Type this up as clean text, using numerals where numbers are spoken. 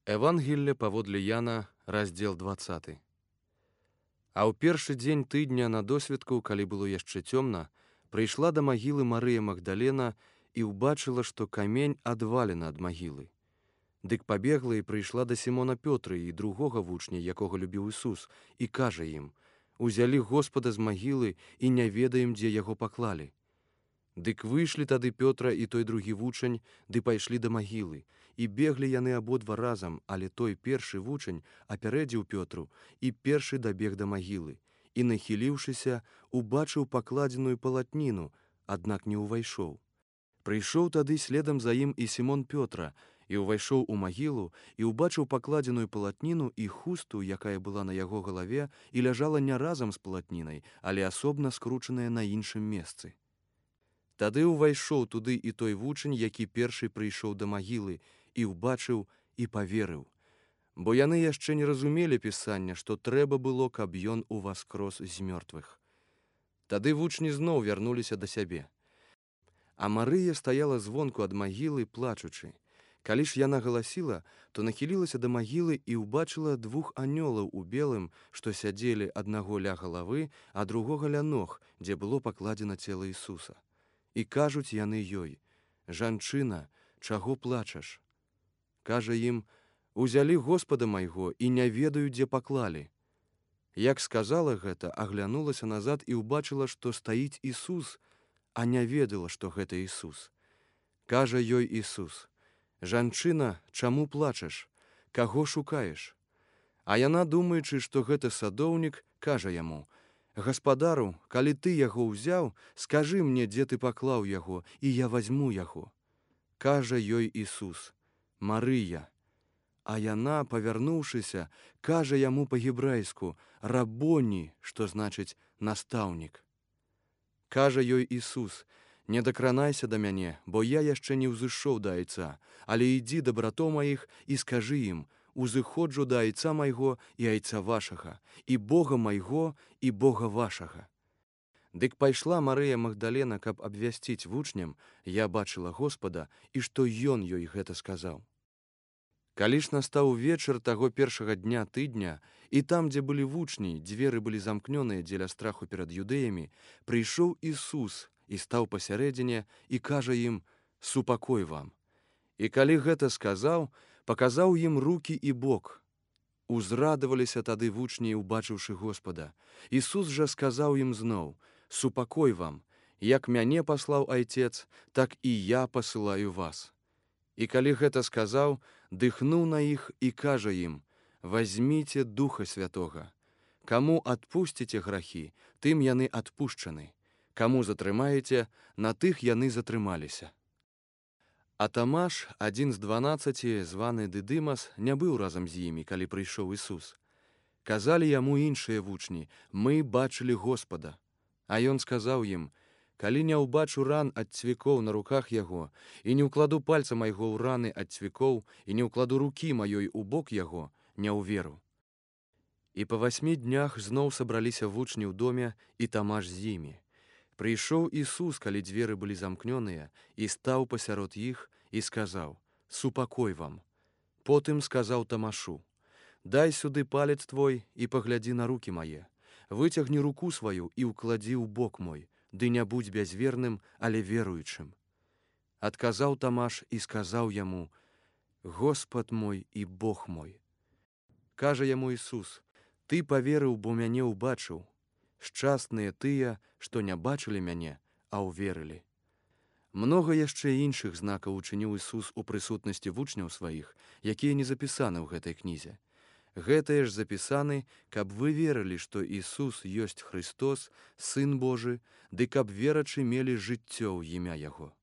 Евангелле паводле Яна, раздзел 20. А ў першы дзень тыдня на досведку, калі было яшчэ цёмна, прыйшла да магілы Марыя Магдалена і ўбачыла, што камень адвалена ад магілы. Дык пабегла і прыйшла да Сімона Пётры і другога вучня, якога любіў Ісус, і кажа ім: «Узялі Господа з магілы і не ведаем, дзе яго паклалі». Дык выйшлі тады Пётра і той другі вучань, ды пайшлі да магілы, і беглі яны абодва разам, але той першы вучань апярэдзіў Пётру і першы дабег да магілы, і, нахіліўшыся, убачыў пакладзеную палатніну, аднак не ўвайшоў. Прыйшоў тады следам за ім і Сімон Пётра, і ўвайшоў у магілу, і ўбачыў пакладзеную палатніну і хусту, якая была на яго галаве, і ляжала не разам з палатнінай, але асобна скручаная на іншым месцы. Тады ўвайшоў туды і той вучань, які першы прыйшоў да магілы, і ўбачыў і паверыў. Бо яны яшчэ не разумелі пісання, што трэба было, каб ён уваскрос з мёртвых. Тады вучні зноў вярнуліся да сябе. А Марыя стаяла звонку ад магілы, плачучы. Калі ж яна галасіла, то нахілілася да магілы і ўбачыла двух анёлаў у белым, што сядзелі аднаго ля галавы, а другога ля ног, дзе было пакладзена цела Ісуса. І кажуць яны ёй: «Жанчына, чаго плачаш?» Кажа ім: «Узялі Господа майго і не ведаю, дзе паклалі». Як сказала гэта, аглянулася назад і ўбачыла, што стаіць Ісус, а не ведала, што гэта Ісус. Кажа ёй Ісус: «Жанчына, чаму плачаш? Каго шукаеш?» А яна, думаючы, што гэта садоўнік, кажа яму: «Гаспадару, калі ты яго ўзяў, скажы мне, дзе ты паклаў яго, і я вазьму яго». Кажа ёй Ісус: «Марыя». А яна, павярнуўшыся, кажа яму па-гебрайску: «Рабоні», што значыць «настаўнік». Кажа ёй Ісус: «Не дакранайся да мяне, бо я яшчэ не ўзышоў да айца, але ідзі да братоў маіх і скажы ім: узыходжу да айца майго і айца вашага, і Бога майго і Бога вашага». Дык пайшла Марыя Магдалена, каб абвясціць вучням: «Я бачыла Господа», і што ён ёй гэта сказаў. Калі ж настаў вечар таго першага дня тыдня, і там, дзе былі вучні, дзверы былі замкнёныя дзеля страху перад юдэямі, прыйшоў Ісус і стаў пасярэдзіне і кажа ім: «Супакой вам». І калі гэта сказаў, паказаў ім рукі і бок. Узрадаваліся тады вучні, убачыўшы Господа. Ісус жа сказаў ім зноў: «Супакой вам, як мяне паслаў Айцец, так і я пасылаю вас». І калі гэта сказаў, дыхнуў на іх і кажа ім: «Вазьміце Духа Святога. Каму адпусціце грахі, тым яны адпушчаны. Каму затрымаеце, на тых яны затрымаліся». А Тамаш, адзін з 12, званы Дыдымас, не быў разам з імі, калі прыйшоў Ісус. Казалі яму іншыя вучні: «Мы бачылі Господа». А ён сказаў ім: «Калі не ўбачу ран ад цвікоў на руках яго, і не ўкладу пальца майго ў раны ад цвікоў, і не ўкладу рукі маёй у бок яго, не ўверу». І па 8 днях зноў сабраліся вучні ў доме, і Тамаш з імі. Прыйшоў Ісус, калі дзверы былі замкнёныя, і стаў пасярод іх і сказаў: «Супакой вам». Потым сказаў Тамашу: «Дай сюды палец твой і паглядзі на рукі мае. Выцягні руку сваю і ўкладзі ў бок мой, ды не будзь бязверным, але веруючым». Адказаў Тамаш і сказаў яму: «Господ мой і Бог мой». Кажа яму Ісус: «Ты паверыў, бо мяне ўбачыў. Шчасныя тыя, што не бачылі мяне, а ўверылі». Многа яшчэ іншых знакаў учыніў Ісус у прысутнасці вучняў сваіх, якія не запісаны ў гэтай кнізе. Гэтыя ж запісаны, каб вы верылі, што Ісус ёсць Христос, Сын Божы, ды каб верачы мелі жыццё ў імя Яго.